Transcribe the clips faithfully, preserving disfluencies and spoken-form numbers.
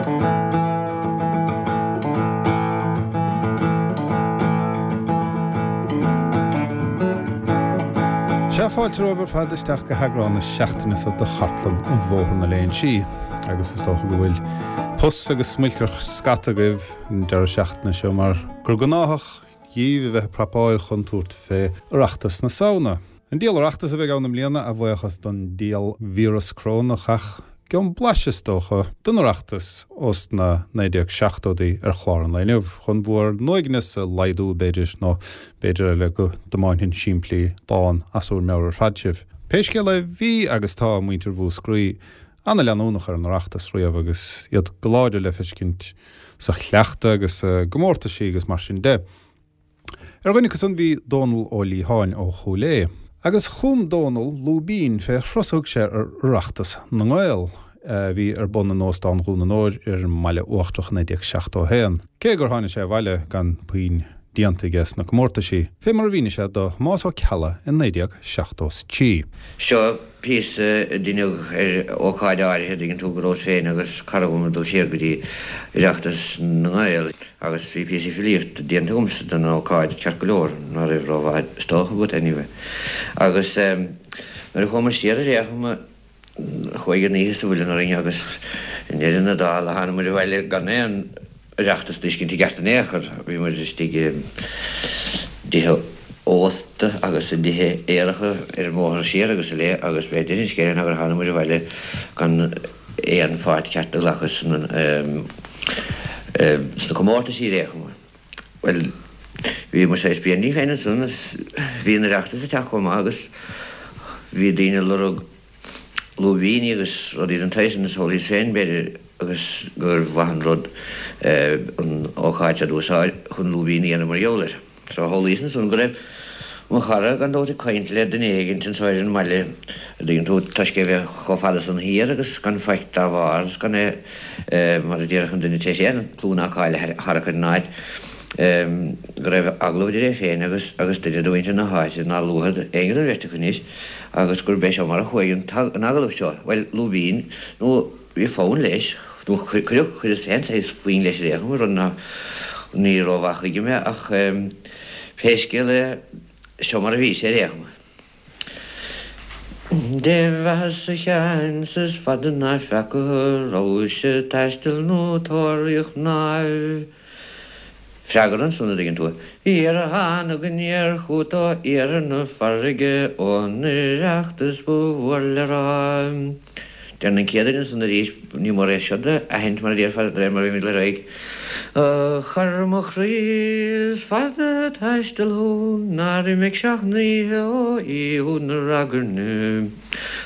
Sea, fáilte romhaibh ar fad isteach go heagrán na seachtaine seo de Chartlann an Bhóthar na Léinsí, agus is dócha go bhfuil pus agus smuilcearnach scata agaibh an deireadh seachtaine seo mar gur gnáthach dhíbh a bheith ag prapáil chun tabhairt fé Oireachtas na Samhna. An diabhal Oireachtas a bheidh ann i mbliana, a bhuíochas don diabhalvíreas corónach, ach gheobhaidh blaiseadh is dócha den Oireachtas ós na naoi déag seachtóidí ar chlár an lae inniu, chun bhur n-uaigneas a laghdú b'fhéidir, nó b'fhéidir eile go dtiomáinfinn simplí dán as bhur meabhair ar fad sibh. Pé scéal é, bhí agus tá muintir Mhúscraí ana-leanúnach ar an Oireachtas riamh agus iad go láidir le feiscint sa chleachtadh agus i gcomórtaisí agus mar sin de. Ar dhuine acu san bhí Dónal Ó Liatháin ó Chúil Aodha. Agus chum Dónal lúibín fé thuras a thug sé ar Oireachtas na nGael a bhí ar bun in Óstán Dhún an Óir ar an mBaile Uachtarach i naoi déag seachtó a haon. Cé gur tháinig sé abhaile gan puinn déanta aige sna comórtaisí, fé mar a mhínigh sé do Thomás Ó Ceallaigh i naoi déag seachtó a trí. Seo píosa a deineadh ar ócáid áirithe, dtuigeann tú, go rabhas féin agus cara dhom ag dul siar go dtí Oireachtas na nGael agus bhí píosa filíochta déanta agamsa don ócáid, ceart go leor, ná raibh rómhaith is dócha, but anyway. Agus nuair a chuamar siar ar aon chuma, chuaigh an oíche sa mhuileann orainn agus i ndeireadh na dála tháinig muid abhaile gan aon Oireachtas a d'fheiscint i gceart in aon chor. Bhí muid istigh i dtithe ósta agus i dtithe aeracha ar an mbóthar siar agus i leith agus b'é deireadh an scéil ná gur tháinig muid abhaile gan aon pháirt cheart a ghlacadh sna sna comórtaisí ar aon chuma. Bhuel, bhí muid saghas bréan dínn féin ansan is bhí an Oireachtas ag teacht chomh maith agus bhí daoine ag lorg lúibíní agus rudaí den tsaghas sin is shamhlaíos féin, b'fhéidir, agus gur mhaith an rud an ócáid seo d'úsáid chun lúibín a dhéanamh mar gheall air. So shamhlaíos ansan go raibh mo chara gan dabht ag caint le duine éigint anso ar an mbaile, a dtuigeann tú, toisc é bheith chomh fada san thiar agus gan faic dá bharr is gan é, mar a déarfadh an duine tar éis aon clú ná cáil a tharrac ar an áit, go raibh agallamh idir é féin agus agus duine de mhuintir na háite nár luadh éinne den bheirt acu anois. Agus gurb é seo mar a chuaigh an agallamh seo, bhuel, lúibín, nó bhí fonn leis, nó cuireadh, chuireas féin saghas foinn leis ar aon chuma, rud ná, ní rómhaith chuige mé, ach pé scéal é, seo mar a bhí sé ar aon chuma. Dé bheatha-sa a Sheáin 's is fada ná feaca thú, rabhais ag taisteal nó tóraíocht mnáibh. Freagra ansan, a dtuigeann tú. Iar thánag aniar chút ó iarthar na farraige ón Oireachtas ba mhór le rá. Deireann an chéad duine ansan arís, ní mór é seo d'aithint mar a déarfá de réir mar a bhímid le raghaidh. A chara mo chroí, is fada a' taisteal thú, nár imigh seacht n-oíche ó oíche na ragairne.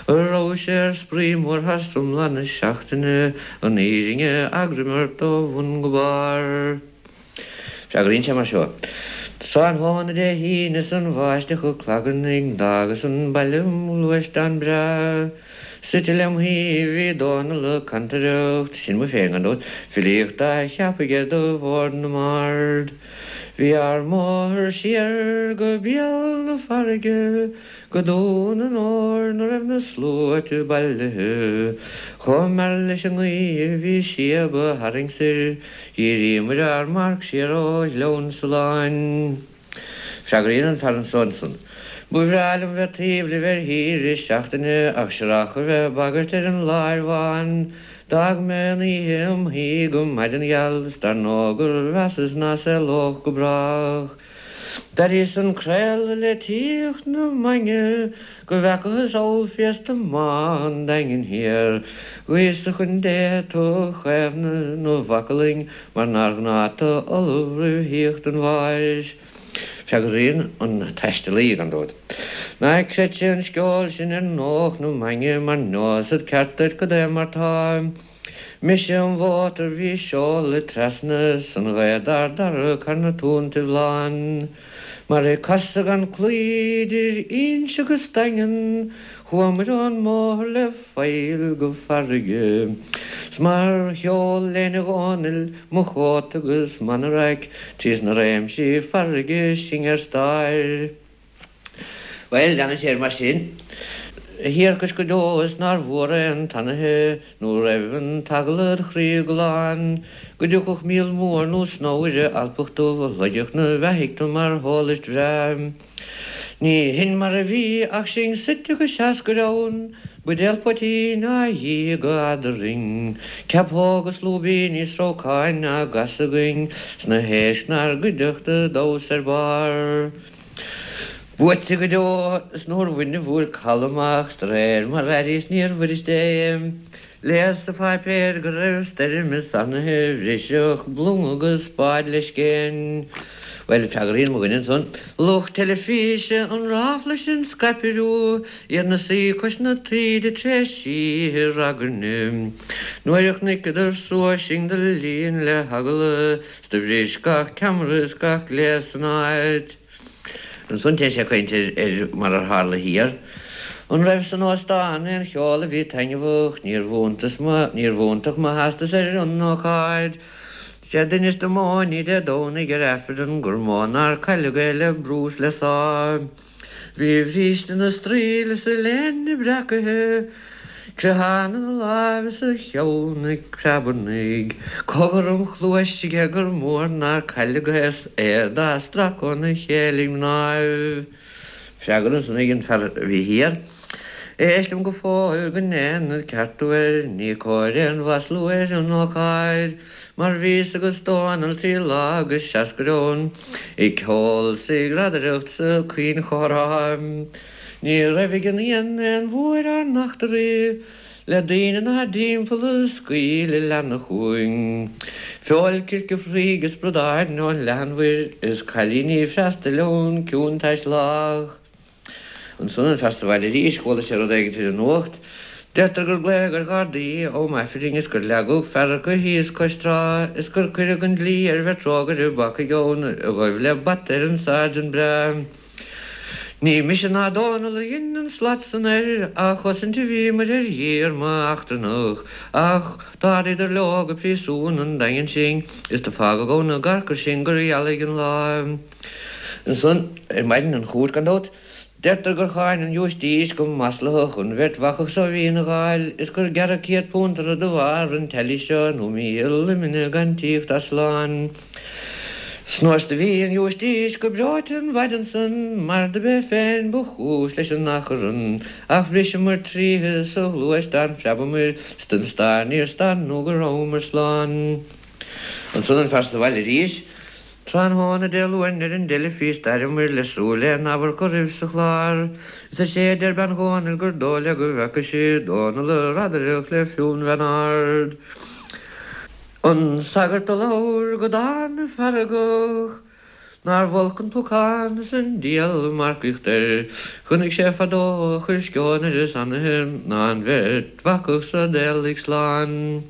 A rabhais ar spraoi mór thar iomlán na seachtaine, an fhírinne agraim ort ó bhun go barr. Freagraíonn sé mar seo, Tráthnóna Dé hAoine 's an bháisteach ag clagarnaigh d'fhágas an baile im ghluaisteán breá. Suite lem thaobh bhí Dónal ag cantaireacht, sin mé féin gan dabht, filíocht á cheapadh aige do Bhord na mBard. Bhí ár mbóthar siar go béal na farraige, Go Dún an Óir 'na raibh na sluaite bailithe, Chomh mear leis an ngaoth a bhí síob a tharraingt soir, Dhíríomair ár marc siar ó Ghleann Sruthláin. Freagraíonn an fear anso ansan, Ba bhreá liom bheith taobh libh ar shaoire seachtaine ach searrach a bheith ag bagairt ar an láir bhán. D'fhág mé an oíche im shuí go maidin gheal 's dar ndóigh gur mheasas ná saolódh go brách. D'airíos an craoladh le tíocht na maidne go bhfeacathas ollphéasta maith an Daingin Thiar. Ghuíos-sa chun Dé tu chaomhnadh 'na mhacallainn mar nár ghnáth tu ullamh roimh thíocht an bháis. Freagraíonn an taistealaí, gan dabht. Ná creidse an sceol sin ar ndóch na maidne mar neosad ceart duit cad é mar tá. Mise im mhótar bhí seoladh trasna 's an ghaoth dár dtarrac thar na túntaibh lán. Mar ag casadh gan cloí idir Inse agus Daingean chuamair ón mbóthar le faill go farraige. 'S mar sheol léine Dhónaill mo chóta agus m'anoraic trí sna réimsí farraige sinn ar stáir. Bhuel, leanann sé air mar sin. Thiarcais go deo is nár mhór aon tanaithe nó raibh an t-agallamh chroí glan, go dtiocfadh míol mór nó snobhaire alpach dubh a shloigfeadh na beathaigh tu mar shólaist bhreá. Ní shin mar a bhí ach sinn suite go seascair ann, buidéal poitín á dhí go eadrainn, ceapóg is lúibíní is rabhcáin á gcasadh againn 's na héisc 'nár gcuideachta ag damhsa ar barr. Buaite go deo is nuair bhain an bhuail caladh amach de réir mar airíos níor bhfuirist é. Léas sa pháipéar go raibh stoirm is anaithe bhrisfeadh blung agus bád le scéin. Bhuel, freagraíonn mo dhuine ansan, lucht teilifíse an ráfla sin scaipthe iad 'na suí cois na taoide tréis oíche ragairne. Nuair a chonaiceadar suas sinn do líon le heagla 's do bhris gach ceamara is gach gléas san áit. Ansan téann sé ag caint ar mar ar tharla thiar. An raibh san óstán aon cheol a bhí taitneamhach, níorbh iontas mo, níorbh iontach mo theastas ar an ócáid. Sea, d'inis dom Móiní Dé Domhnaigh ar Aifreann gur mó nár cailleadh é le brú 's le sá. Bhí a bhríste 'na straoill is a léine breacaithe. Creathán ina láimh is a cheann ag preabarnaigh. Cogar im chluais aige gur mór nár cailleadh é dá stracadh óna chéile ag mnáibh. Freagra ansan ag an fear a bhí thiar. Éist liom go fóill go ndéanfad ceartú air, ní cóir aon mhaslú ar an ócáid, mar bhíos agus Dónall trí lá agus seascair ann, ag ceol 's ag radaireacht 's ag caoinchomhrá. Ní raibh ag an fhiann aon bhua ar ár n-eachtraí, le daoine 'nár dtimpeall a scaoil a leanna chugainn. Feoil circe fraoigh is bradáin ón leathanmhuir is cailíní freastail ón ciúin-taisleach. Ansan an fear sa bhaile arís, chuala sé rud éigin ar an nuacht. Deirtear gur glaodh ar Ghardaí um Aifrinn is gur leagadh fear acu thíos cois trá is gur cuireadh an dlí ar bheirt rógaire bacaigh ann a ghaibh le bata ar an Sergeant breá. Ní mise ná Dónall a dhein an slat san air, á chosaint a bhíomair ar dhíorma eachtrannach, ach d'ardaíodar leo go príosún an Daingin sinn is do fágadh ann i gcarcair sinn gur ghealaigh an lá. Ansan ar maidin an chúirt gan dabht, deirtear gur cháin an Giúistís go maslaitheach an bheirt bhacach so a bhí ina dháil is gur gearradh céad punt orthu de bharr an teaghlaigh seo nó míle luimne gan tíocht as slán. 'S nuair do bhí an Ghiúistís go breoite an mhaidin san mar do b'é féin ba chúis leis an achrann, ach bhriseamair tríothu sa ghluaisteán phreabamair 's den stair níor stad nó go rabhamair slán. Ansan an fear sa bhaile arís. Tráthnóna Dé Luain ar an dteilifís d'aireamair le súil aon amharc oraibh sa chlár. Is is é a deir bean Dhónaill gur dóigh léi go bhfeaca sí Dónall ag radaireacht le Fionn Bheann Ard. An sagart a labhair go dána feargach, nár bh'olc an pocán is an diabhal marcaíocht air, chonaic sé fadó a chuir sceon ar a sannaithe ná an bheirt bhacach so d'éalaigh slán.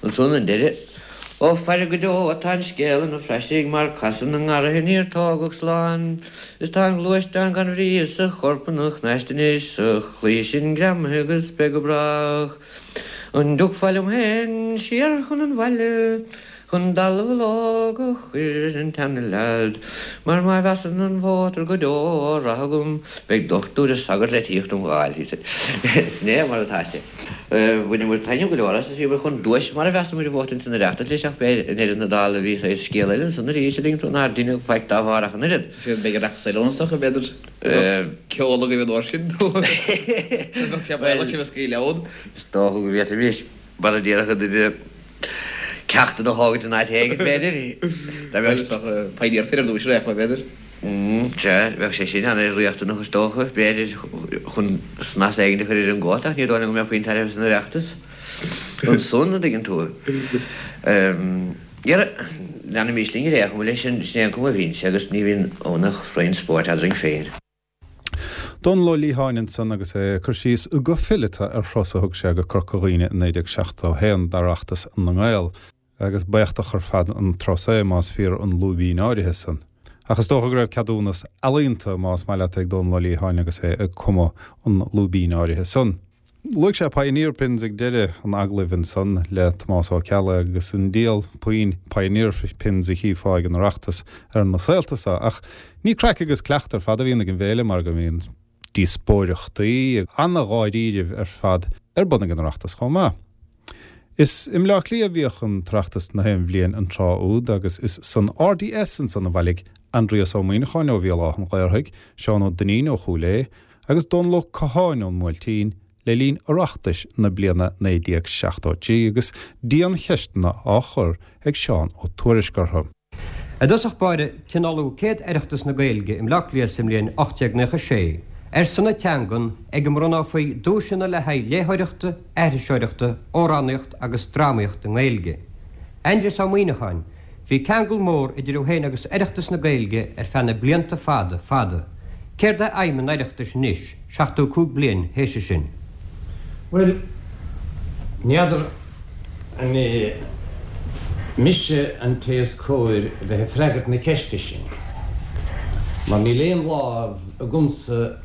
Ansan an deireadh. Ó faire go deo atá an scéal ina phraisigh mar casadh na ngarraithe níor tógadh slán, is tá an gluaisteán gan bhrí is a chorp ina chnaist anois sa chlaí sin greamaithe agus beidh go brách. An dtiocfá liom féin siar chun an bhaile, chun dallamhullóg a chur ar an tseana-leaid, mar má mheasann an vótar go deo á rath agam, beidh dochtúir is sagart le tíocht 'om fháil, he said. Sin é mar atá sé. Bhaineamar taitneamh go leor as is bhíomar chun duais mar a mheasamar a bhuachtaint san Oireachtas leis ach b'é i ndeireadh na dála bhí saghas scéal eile ansan arís a dtuigeann tú nár deineadh faic dá bharr ach an oiread. Sea, beidh Oireachtas eile ann is dócha, b'fhéidir. Ceol agaibh an uair sin nó bheadh sé baolach sibh a scaoileadh ann. Is dócha go bhféadfaimis, mar a déarfadh duine, ceachtanna a thógaint in áit éigin, b'fhéidir. Dá mbeadh is dócha Pioneer Pin ar dtús ar aon chuma, b'fhéidir. Sea, bheadh sé sin an-riachtanach is dócha, b'fhéidir, chun snas éigin a chur ar an gcóta ach ní dóigh liom go mbeadh puinn tairbhe san Oireachtas ansan, an dtuigeann tú. Dhera, leanaimis linn ar aon chuma leis, sin é an cuma a bhíonn sé agus ní bhíonn ann ach roinnt spóirt eadrainn féin. Dónall Ó Liatháin ansan agus é ag cur síos go fileata ar thuras a thug sé go Corca Dhuibhne i naoi déag seachtó a haon d'Oireachtas na nGael. Agus b'éachtach ar fad an turas é, más fíor an lúibín áirithe san. Ach is dócha go raibh ceadúnas ealaíonta, más maith leat, ag Dónall Ó Liatháin agus é ag cumadh an lúibín áirithe san. Luaigh sé Pioneer Pins ag deireadh an agallaimh ansan le Tomás Ó Ceallaigh agus an diabhal puinn Pioneer Pins a chífeá ag an Oireachtas ar na saolta so. Ach ní craic agus cleacht ar fad a bhíonn ag an bhféile mar go mbíonn díospóireachtaí an-dháiríribh ar fad ar bun ag an Oireachtas chomh maith. Is i mBleá Cliath a bhíodh an tOireachtas na haon bhliain an tráth úd agus is san RDS ansan a bhailigh Aindrias Ó Muimhneacháin ó Bhéal Átha an Ghaorthaidh, Seán Ó Duinnín ó Chúil Aodha agus Dónal Ó Catháin ón mBuailtín le linn Oireachtais na bliana naoi déag seachtó a trí agus diancheisteanna á chur ag Seán Ó Tuairisg orthu. I dtosach báire, tionóladh céad Oireachtas na Gaeilge i mBleá Cliath sa mbliain ocht déag naocha sé, ar son na teangan, ag a mbronnófaí duaiseanna le haghaidh léitheoireachta, aithriseoireachta, amhránaíocht agus drámaíocht i nGaeilge. Aindrias Ó Muimhneacháin, Bhí ceangal mór idir thú féin agus Oireachtas na Gaeilge ar feadh na blianta fada, fada. Céard é aidhm an Oireachtais anois, seachtó cúig bliain théis sin? Bhuel, n'fheadar an é mise an té is cóir a bheith ag freagairt na ceiste sin, mar níl aon lámh agamsa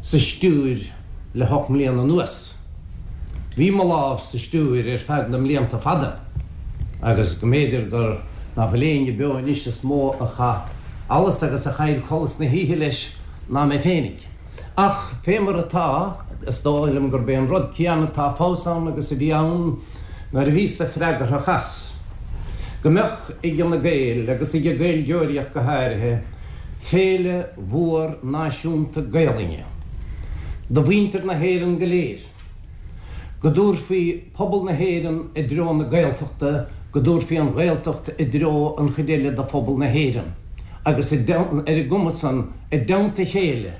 sa stiúir le hocht mbliana anuas. Bhí mo lámh sa stiúir ar feadh na mblianta fada agus go mb'fhéidir gur ná fuil éinne beo anois is mó a chaith allas agus a chaill codladh na hoíche leis ná mé féinig. Ach fé mar atá, is dóigh liom gurb é an rud céanna atá fós ann agus a bhí ann nuair a bhíos-sa freagarthach as, go mbeadh ag na Gaeil, agus ag an Gaeilgeoirí ach go háirithe, féile mhór náisiúnta Gaelainne do mhuintir na hÉireann go léir, go dtabharfaí pobal na hÉireann i dtreo na Gaeltachta, go dtabharfaí an Ghaeltacht i dtreo an chuid eile de phobal na hÉireann, agus ar an gcuma san, i dteannta a chéile,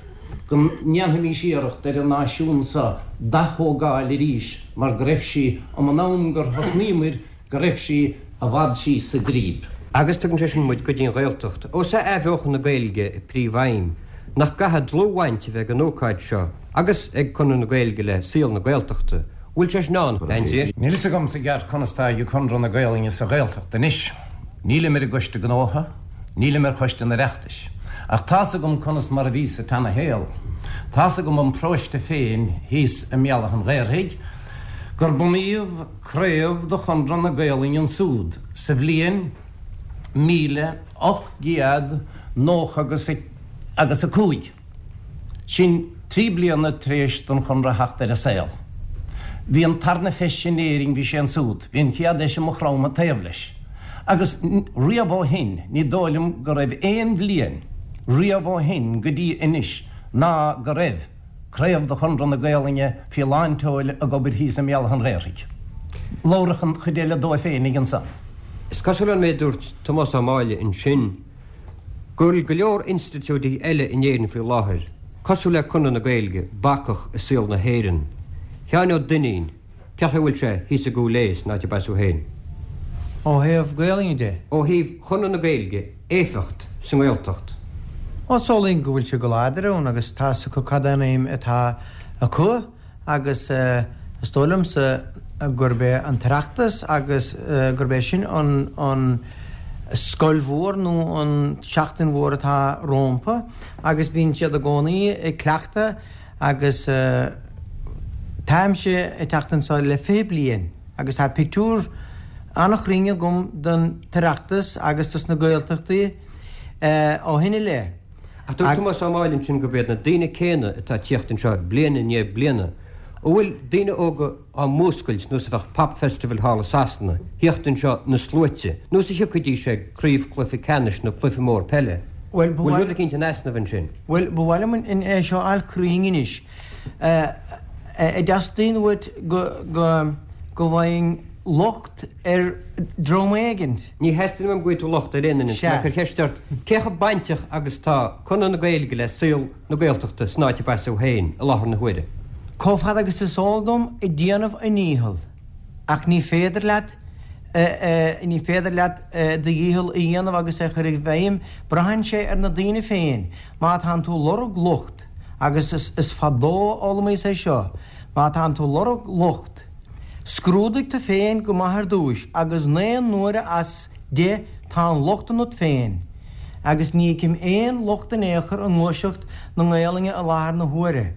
go ndéanfaimis iarracht ar an náisiún so d'ath-thógáil arís mar go raibh sí um an am gur thosnaíomair go raibh sí i bhfad síos sa draoib. Agus tugann sé sin muid go dtí an Ghaeltacht. Ós é athbheochan na Gaeilge a príomhaidhm, nach gcaithfidh dlúthbhaint a bheith ag an ócáid seo agus ag Conradh na Gaeilge le saol na Gaeltachta? Bhfuil sé sin ann, Aindrias? Níl fhios agamsa i gceart conas tá ag Conradh na Gaelainne sa Ghaeltacht anois. Nílim ar an gCoiste Gnótha, nílim ar Choiste an Oireachtais. Ach tá's agam conas mar a bhí sa tseana-shaol. Tá's agam ón bparóiste féin thíos i mBéal Átha an Ghaorthaidh gur bunaíodh craobh de Chonradh na Gaolainne ansúd sa bhliain míle ocht gcéad nócha agus agus a cúig. Sin trí bliana tar éis don Chonradh theacht ar an saol. Bhí an tarna feis in Éirinn, bhí sé ansúd. Bhí an chéad fheis i Maigh Chromtha taobh leis. Agus riamh ó shin, ní dóigh liom go raibh aon bhliain riamh ó shin go dtí anois ná go raibh craobh de Chonradh na Gaolainne faoi lán tseoil ag obair thíos i mBéal Átha an Ghaorthaidh. Labharfadh an chuid eile dóibh féinig ansan. Is cosúil ón méid a dúirt Tomás Ó Máille ansin go bhfuil go leor institiúidí eile in Éirinn faoi láthair, cosúil le Conradh na Gaeilge, bacach i saol na hÉireann. Sheáin Ó Duinnín, Cén chaoi a bhfuil sé thíos i gCúil Aodha san áit arb as thú féin? Ó thaobh Gaelainne de? Ó thaobh Chonradh na Gaeilge, éifeacht sa nGaeltacht. Ó, samhlaím go bhfuil sé go láidir ann agus tá's acu cad é an aidhm atá acu agus is dóigh liomsa gurb é an tOireachtas agus gurb é sin an an scoil mhór nó an tseachtain mhór atá rómpa agus bíonn siad i gcónaí ag cleachtadh agus táimse ag teacht anseo le fiche bliain agus tá pictiúr an-chruinn agam den tOireachtas agus dos na Gaeltachtaí ó shin i leith. Ach dúirt Tomás Ó Máille ansin gurb iad na daoine céanna atá ag tíocht anseo bliain i ndiaidh bliana. An bhfuil daoine óga á múscailt nós a bheadh Pop Festival thall i Sasana, thíocht anseo na sluaite, nós a thiocfaidís ag craobhchluiche ceannais nó cluiche mór peile? Bhuel, ba Bhfuil mhaith rud eicínt in easnamh ansin? Bhuel, ba mhaith liom é seo a fháil cruinn anois. An dteastaíonn uait go go go bhfaighinn locht ar dhream éigin? Ní theastaíonn uaim go bhfaighidh tú locht ar aon duine. Sea. Tá mé ag cur ceist ort, cé chomh bainteach agus tá Conradh na Gaeilge le saol na Gaeltachta san áit arb as thú féin i láthair na huaire? Chomh fada agus is eol dom, ag déanamh a ndícheall. Ach ní féidir leat ní féidir leat do dhícheall a dhéanamh agus é a chur i bhfeidhm, braitheann sé ar na daoine féin. Má tánn tú lorg locht, agus is fadó a d'fhoghlaimíos é seo, má tánn tú lorg locht, scrúdaigh tú féin go maith ar dtúis agus naoi n-uaire as deich tá an locht ionat féin. Agus ní fheicim aon locht in aon chor i ngluaiseacht na Gaelainne i láthair na huaire.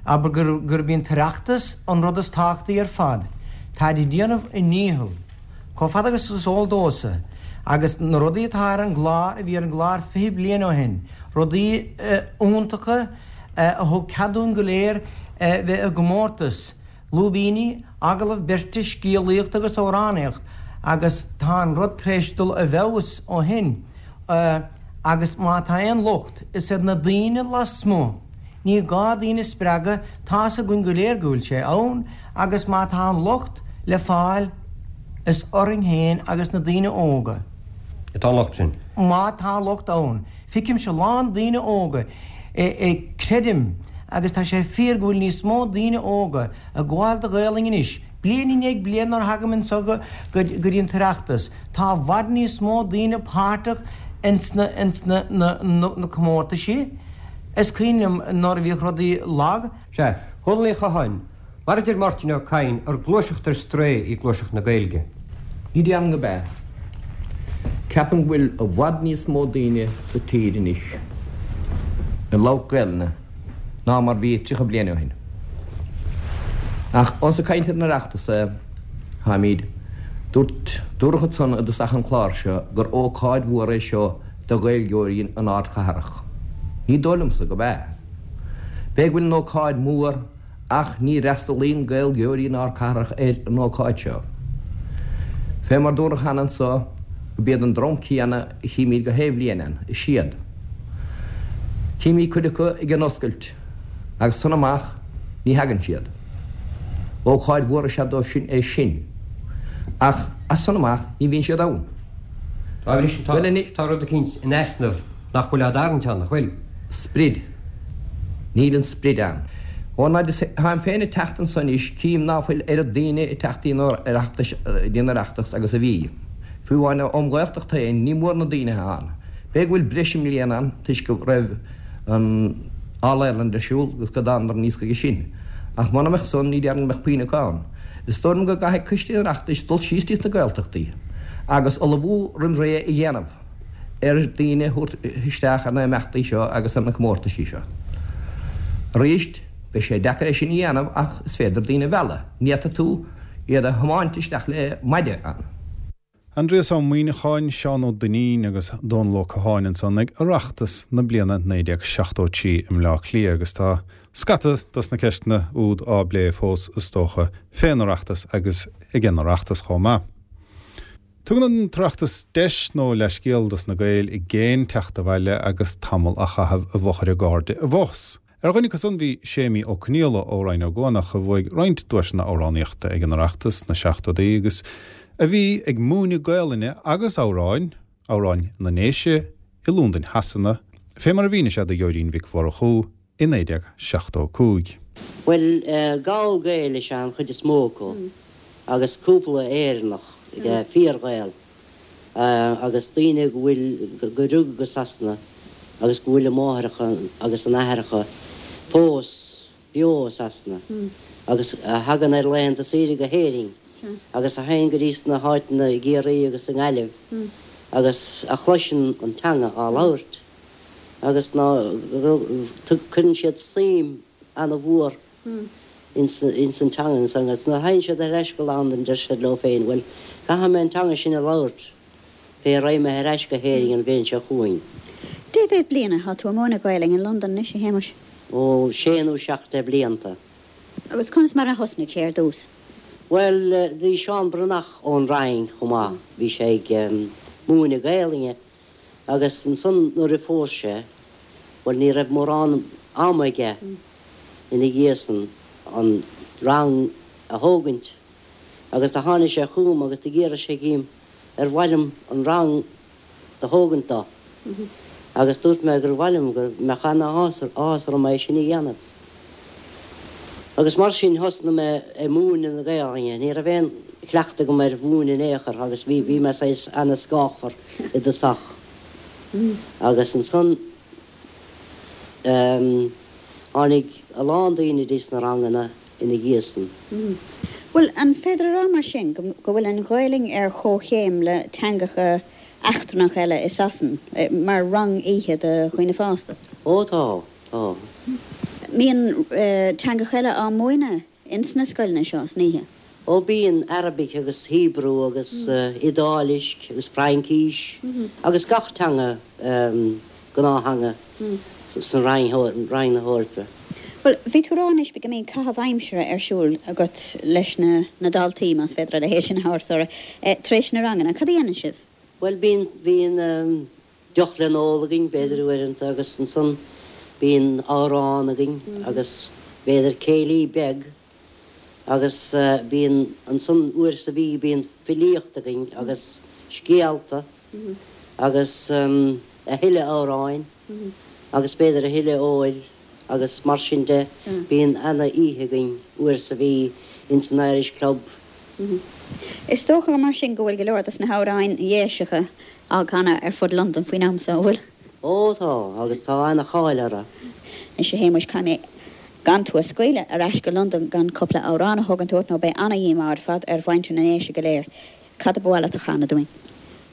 Abair gur gurb í an tOireachtas an rud is tábhachtaí ar fad. Táid ag déanamh a ndícheall. Chomh fada agus is eol domhsa, agus na rudaí atá ar an gclár a bhí ar an gclár fiche bliain ó shin, rudaí iontacha a thug cead dúinn go léir bheith i gcomórtas, lúibíní, agallamh beirte, scéalaíocht agus amhránaíocht, agus tá an rud tar éis dul i bhfeabhas ó shin. Agus má tá aon locht, is ar na daoine lasmuigh. Ní gá daoine a spreagadh, tá's againn go léir go bhfuil sé ann, agus má tá an locht le fáil, is orainn féin agus na daoine óga. Atá an locht sin. Má tá locht ann. Feicimse a lán daoine óga, creidim, agus tá sé fíor go bhfuil níos mó daoine óga ag gabháil do Ghaelainn anois, bliain i ndiaidh bliana nuair a thagaim anseo go dtí an tOireachtas, tá i bhfad níos mó daoine páirteach ins na ins na na comórtaisí. Is cuimhin liom nuair a bhíodh rudaí lag. Sea, Dhónaill Uí Chatháin, mar a deir Máirtín Ó Cadhain, ar gluaiseacht ar strae í gluaiseacht na Gaeilge. Ní déarfainn gurb ea. Ceapaim go bhfuil i bhfad níos mó daoine sa tír anois ag labhairt Gaelainne ná mar bhí tríocha bliain ó shin. Ach ós ag caint ar an Oireachtas atáimid, dúirt, dúradh ansan i dtosach an chláir seo gur ócáid mhór é seo do Ghaeilgeoirí an ardchathrach. Ní dóigh liomsa gurb ea. B'fhéidir go bhfuil an ócáid mór ach ní fhreastalaíonn Gaeilgeoirí na hardchathrach ar an ócáid seo. Fé mar dúradh cheana anso, gurb iad an dream céanna a chímid gach aon bhliain ann, is iad. Címid cuid acu ag an oscailt agus as san amach ní thagann siad. Ócáid mhór is ea dóibh sin é sin. Ach as san amach ní bhíonn siad ann. Dá bhrí sin tá rud eicínt in easnamh nach bhfuil á dtarraingt ann, nach bhfuil? Sprid. Níl an sprid ann. Ón fhad is atáim féin ag teacht anso anois cím ná fuil oiread daoine ag teacht dtí an Oireachtas agus a bhí. Fiú amháin ón nGaeltacht féin ní mór na daoine atá ann. B'fhéidir go bhfuil breis i mbliana ann toisc go raibh an All Ireland ar siúl agus go dtánadar aníos chuige sin. Ach muna mbeadh san ní déarfainn go mbeadh puinn acu ann. Is dóigh liom go gcaithfidh coiste an Oireachtais dul síos dtí sna Gaeltachtaí agus ullmhú roimh ré a dhéanamh ar daoine a thabhairt isteach ar na himeachtaí seo agus ar na comórtaisí seo. Arís, beidh sé deacair é sin a dhéanamh ach is féidir daoine a mhealladh. Ní fhéadfaidh tú iad a thiomáint isteach le maide ann. Aindrias Ó Muimhneacháin, Seán Ó Duinnín agus Dónall Ó Catháin ansan ag Oireachtas na bliana naoi déag seachtó trí i mBleá Cliath agus tá scata dos na ceisteanna úd á bplé fós is dócha fén Oireachtas agus ag an Oireachtas chomh maith. Tugann an tOireachtas deis nó leithscéal dos na Gaeil i gcéin teacht abhaile agus tamall a chaitheamh i bhfochair a gcairde i bhfus. Ar dhuine acu san bhí Séimí Ó Conghaile ó Rinn Ó gCuanach a bhuaigh roinnt duaiseanna amhránaíochta ag an Oireachtas sna seachtóidí agus a bhí ag múineadh Gaelainne agus amhráin, amhráin na nDéise, i Londain Shasana, fé mar a mhínigh sé do Ghearóidín Mhic Mhurchú i naoi déag seachtó a cúig. Bhuel, Gall-Gaeil is ea an chuid is mó acu agus cúpla Éireannach, fíor-Ghael, agus daoine go bhfuil, go rugadh i Sasana agus go bhfuil a máithreacha agus a n-aithreacha fós beo i Sasana agus a thagann ar laethanta saoire go hÉirinn agus a théann go dtí sna háiteanna i gCiarraí agus i nGaillimh agus a chloiseann an teanga á labhairt agus ná cuireann siad suim ana-mhór ins an teanga ansan agus nuair a théann siad ar ais go Londain deir siad leo féin bhuel caithfidh mé an teanga sin a labhairt pé raghaidh mé ar ais go hÉirinn an bhliain seo chugainn. Dé mhéad bliana atá tú ag múineadh Gaelainn in Londain anois, a Shéamuis? Ó, sé nó seacht de bhlianta. Agus conas mar a thosnaigh sé ar dtús? Bhuel, bhí Seán Breathnach ón Rinn chomh maith, bhí sé ag múineadh Gaelainne agus ansan nuair a phós sé, bhuel ní raibh mórán ama aige ina dhiaidh san an rang a thógaint agus do tháinig sé chugam agus d'fhiafraigh sé dhíom ar mhaith liom an rang do thógaint dó agus dúirt mé gur mhaith liom, go mbeadh ana-áthas orm é sin a dhéanamh. Agus mar sin thosnaigh mé ag múineadh na Gaelainne. Ní raibh aon chleachtadh agam ar mhúineadh in aon chor agus bhí, bhí mé saghas ana-scáfar i dtosach. Agus ansan tháinig a lán daoine dtí sna ranganna ina dhiaidh san. Bhuel, an féidir a rá mar sin go bhfuil an Ghaelainn ar chomhchéim le teangacha eachtrannacha eile i Sasain, mar rang oíche do dhaoine fásta? Ó tá, tá. Mbíonn teangacha eile á múineadh ins na scoileanna seo san oíche? Ó bíonn, Arabic agus Hebrew agus Iodáilis agus Fraincís agus gach teanga, gnáth-theanga san Roinn na hEorpa. Bhuel, bhí tú ag rá anois go mbíonn caitheamh aimsire ar siúl agat leis na na daltaí más féidir a leithéid sin a thabhairt orthu, tar éis na ranganna. Cad a dhéanann sibh? Bhuel, bíonn bíonn deoch le n-ól againn, b'fhéidir uaireanta, agus ansan bíonn amhrán againn agus b'fhéidir céilí beag agus bíonn ansan uair sa mhí bíonn filíocht againn agus scéalta agus a thuilleadh amhráin agus b'fhéidir a thuilleadh óil. agus mar sin de, bíonn ana-oíche againn uair sa mhí ins an Irish Club. Is dócha mar sin go bhfuil go leor des na hamhráin Dhéiseacha á gcanadh ar fud Londain faoin am so, an bhfuil? Ó tá, agus tá ana-cháil orthu. Anois a Shéamuis, caithfidh mé gan tú a scaoileadh ar ais go Londain gan cúpla amhrán a thógaint uait nó beidh ana-dhíomá ar fad ar mhuintir na nDéise go léir. Cad a ba mhaith leat a chanadh dúinn?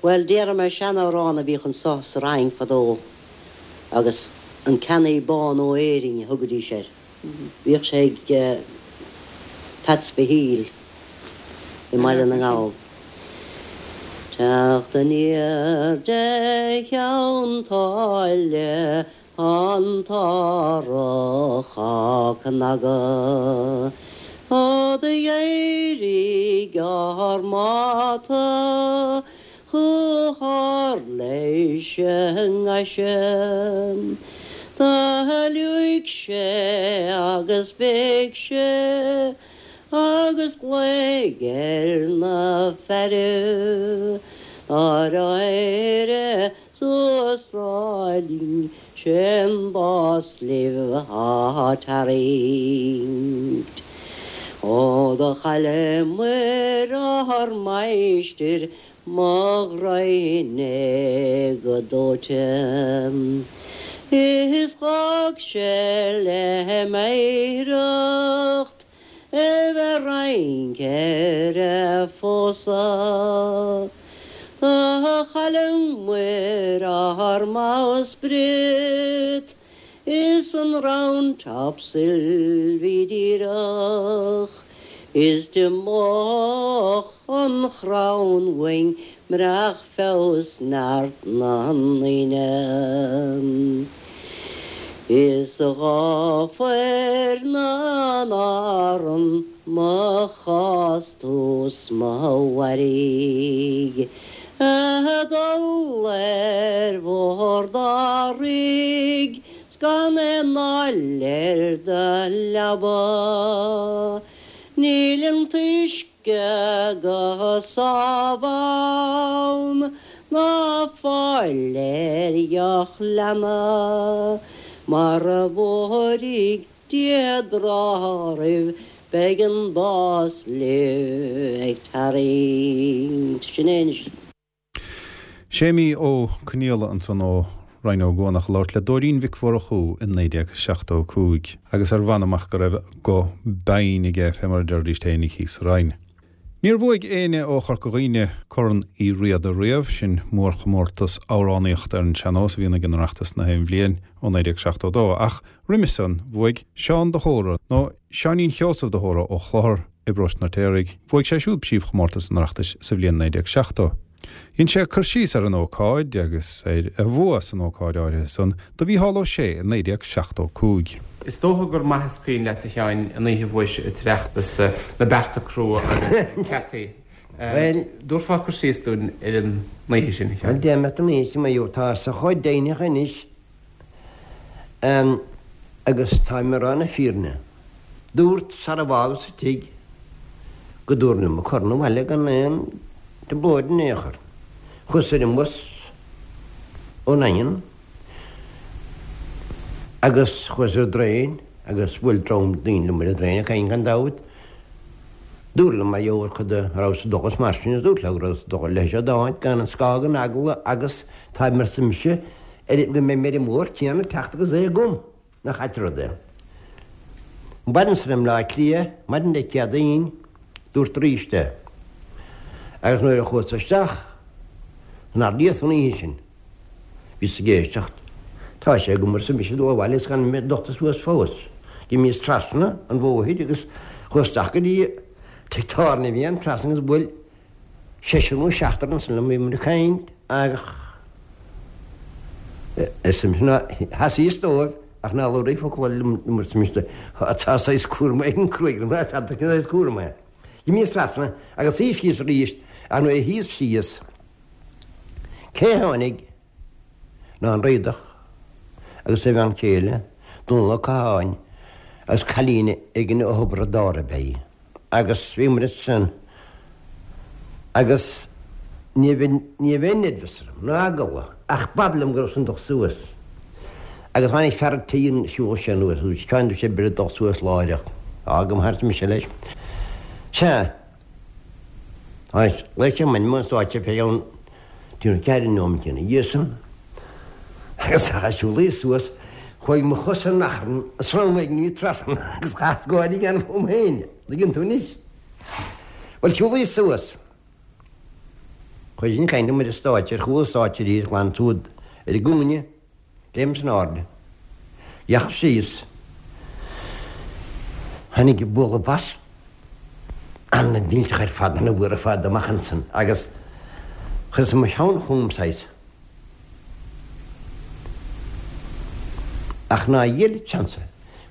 Bhuel, déarfaidh mé seanamhrán a bhíodh anso sa Rinn fadó agus An Ceannaí Bán ó Éirinn a thugaidís air. Bhíodh sé ag Peats Mhichíl i mBaile na nGall. Teacht aniar de Cheann tSáile an t-árthach á cnagadh, Ó do d'éirigh ár mbáta Chomh hard leis an ngaise. Do liúigh sé agus bhéic sé agus ghlaoigh ar na fearaibh nár éirigh suas Thrá Linn sé'n bás libh á tarraingt. Ó do chailleamair ár máistir Mo ghraidhin é go dóite. Is dh'fhág sé le m'oidhreacht é bheith ag rince ar a phósadh. Do chailleamair ár mbowsprit is an round topsail bhí díreach Is d'imeodh an chrann uainn murach feabhas neart na ndaoine. Is dhá fuair na n-arann mo chás tús mo mhairg a dhul ar bhord árthaigh 's gan aon fháil ar do leaba. Níl an t-uisce go sámh ann ná fáil ar dheoch leanna Mara bhfóiridh Dia dtráth oraibh beidh an bás libh ag tarraingt. Sin é anois. Séimí Ó Conghaile ansan ó Rinn Ó gCuanach ag labhairt le Dóirín Mhic Mhurchú in naoi déag seachtó a cúig agus ar mh'anam ach go raibh guth binn aige fé mar a deiridís fhéinig thíos sa Rinn. Níor bhuaigh éinne ó Chorca Dhuibhne Corn Uí Riada riamh, sin mórchomórtas amhránaíochta ar an sean-nós a bhíonn ag an Oireachtas na haon bhliain ó naoi déag seachtó a dó, ach roimhe san bhuaigh Seán de hÓra, nó Seáinín Sheosaimh de hÓra ó Chlochar i bparóiste an Fheirtéaraigh, bhuaigh sé siúd príomhchomórtas an Oireachtais sa bhliain naoi déag seachtó. Dhein sé cur síos ar an ócáid agus ar a bhua san ócáid áirithe san do Mhícheál Ó Sé i naoi déag seachtó cúig. Is dócha gur maith is cuimhin leat, a Sheáin, an oíche a bhuaigh an tOireachtas na bearta crua agus na ceataí. Bhuel, dtabharfá cur síos dúinn ar an oíche sin, a Sheáin? Bhuel, déarfaidh mé an oíche sin, mar gheall, tá sé chomh deimhneach anois agus táim ag rá na fírinne. Dúrt sara bhfágas an tigh go dtabharfainn liom an corn abhaile gan aon trioblóid in aon chor. Chuas ar an mbus ón nDaingean agus chuas ar an dtraein agus bhuail dream daoine liom ar an dtraein ag caint gan dabht. Dúradh liom mar gheall ar cad a rabhas ag dul is mar sin is dúrt leo go rabhas ag dul leis an áit gan an scáth den eagla agus táim arsa mise ar go mbeidh mé ar an mbóthar céanna ag teacht agus é agam. Nach ait an rud é. Maidin san i mBleá Cliath, maidin Dé Céadaoin, dúrt arís é. Agus nuair a chuas isteach san Ard an oíche sin, bhíos ag éisteacht. Tá sé agam arsa mise dul abhaile is gan mé dochta suas fós. D'imíos trasna an bhóthair agus chuas isteach go dtí tigh tábhairne a bhí ann trasna agus bhuail seisear nó seachtar ansan liom, bhíomar ag caint ach Arsa mise, sheasaíos dóibh ach ná labhair focal liom arsa mise, tá saghas cúram éigin cruaidh orm, n'fheadar cén saghas cúram é. D'imíos trasna agus shuíos síos arís ach nuair a shuíos síos, cé tháinig ná an Riadach agus a bhean chéile, Dónall Ó Catháin agus cailín éigin ó Thiobraid Árann ab ea í. Agus bhíomar ansin agus ní raibh ní raibh aon neirbeas orm, ná eagla, ach b'fhada liom go rabhas chun dul suas. Agus tháinig fear an tí an siúl sé anuas, agus ceann sé b'fhéidir dul suas láithreach. Fhág thart mise leis. Sea. Tháinig laoch an mhainm an stáitse fé cheann trí nó ceathair nóiméad ina dhiaidh san. Agus a siúlaí suas, chuaigh mo chosa in achrann, srón ag ní trasna agus chas gáire a dhéanamh fúm féin. Tuigeann tú anois. Bhuel, siúlaí suas. Chuaigh sin caint liom ar an stáitse, ar chúl an stáitse arís, glan siúd ar an gcúinne, léimeas in airde. Dheachas síos. Tháinig bualadh bos an-mhillteach ar fad, an-mhór ar fad amach ansan agus chuireas mo cheann chugam saghas. Ach ná dhíol seans,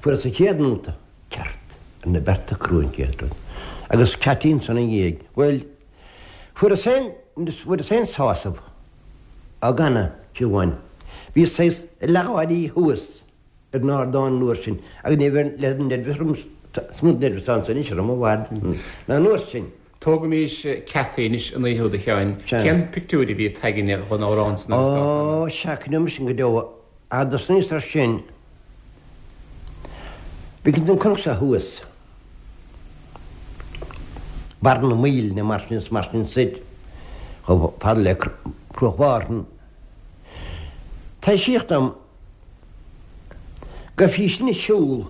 fuaireas an chéad nóta ceart ar na bearta crua an chéad rud. Agus Ceaití ansan ina dhiaidh. Bhuel, fuaireas féin, fuaireas féin sásamh á gcanadh fiú amháin. Bhí saghas leathgháirí thuas ar an ardán an uair sin agus ní bheidh leath den neirbhíos orm, is mó neirbhíos ansan anois orm i bhfad ná an uair sin. Tógaimis Ceaití anois an oíche úd a Sheáin. Cén pictiúr a bhí againne dhon amhrán san agus dá Ó, sea, cuimhneoidh mise sin go deo. Ach tosnaíos ar sin. Bhí an cnoc seo thuas. Barr na Maoilne mar sin is mar sin soir, chomh fada le Cruach Mhárthain. Taibhsíodh dom go raibh sí ag siúl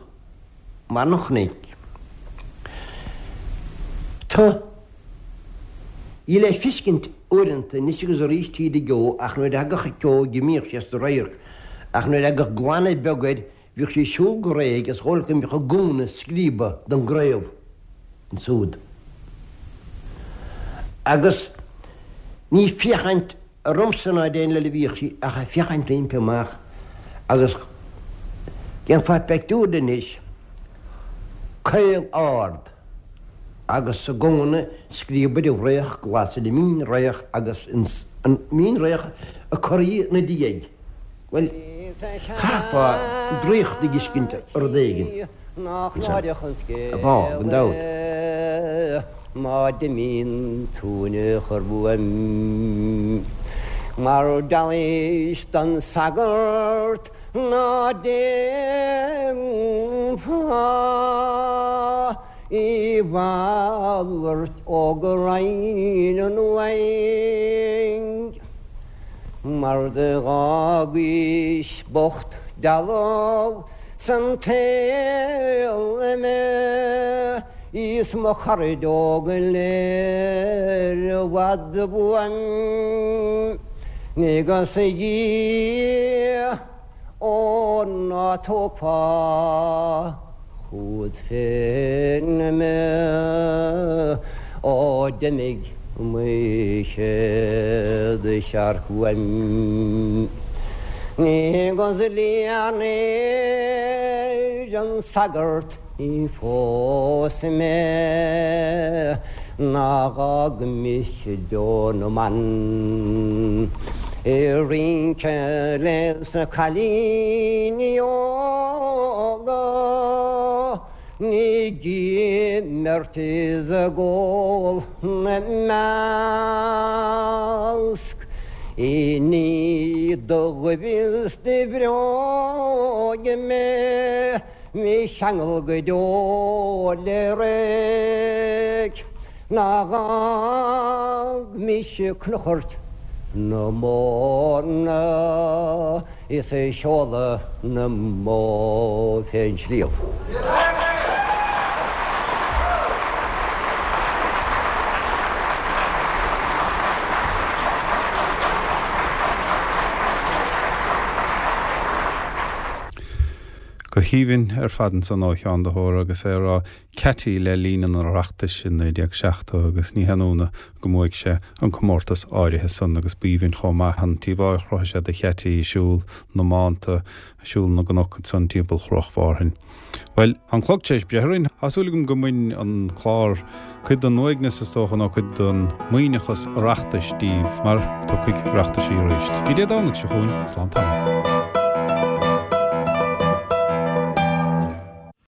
mar an chnoic. Tá í le feiscint uaireanta anois agus arís tríd an gceo ach nuair a thagadh an ceo d'imíodh sí as do radharc ach nuair a thagadh glanadh beag air bhíodh sí ag siúl go réidh is dhóigh leat go mbeadh a gúna scríoba don gcraobh ansúd. Agus ní ag féachaint ormsa ná ar éinne eile a bhíodh sí ach ag féachaint roimpi amach agus déanfá pictiúr di anois, caol ard agus a gúna scríoba de fhraoch glas ar an mín-fhraoch agus an mín-fhraoch ag corraí ina diaidh. Bhuel, chaithfeá draíocht a dh'fheiscint rud éigin ansan, a bhá, gan dabht. Má d'imíonn tú in aon chor uaim Mar d'éist don sagart ná déanfá a mhalairt ó go raghainn an uaigh. Mar d'fhágaís bocht dealbh san tsaol mé is mo charaid óga go léir i bhfad uaim. Agus a Dhia, ó ná tógfá chugat féin mé ó d'imigh mo chéad searc uaim. Agus lean an sagart ní phósfaidh mé ná dh'fhág mise deoir na mban. Ag rince leis na cailíní óga ag imirt is ag ól 'na measc. I ndiaidh do ghoimh is do bhróige mé mo cheangal go deo le reic ná dh'fhág mise Cnoc na Móna is ag seoladh na mbó fén sliabh. Go haoibhinn ar fad ansan ó Sheán de hÓra agus é ag rá Ceaití le linn an Oireachtais i naoi déag seachtó agus ní haon ionadh go mbuaigh sé an comórtas áirithe san agus b'aoibhinn chomh maith an íomhá a chruthaigh sé de Cheaití ag siúl na mbánta, ag siúl na gcnoc ansan timpeall Chruach Mhárthain. Bhuel, tá an clog tar éis breith orainn. Tá súil agam go mbain an clár cuid den uaigneas is dócha nó cuid den maoithneachas Oireachtais díbh mar tiocfaidh Oireachtaisí arís. Go dtí Dé Domhnaigh seo chugainn, slán tamall.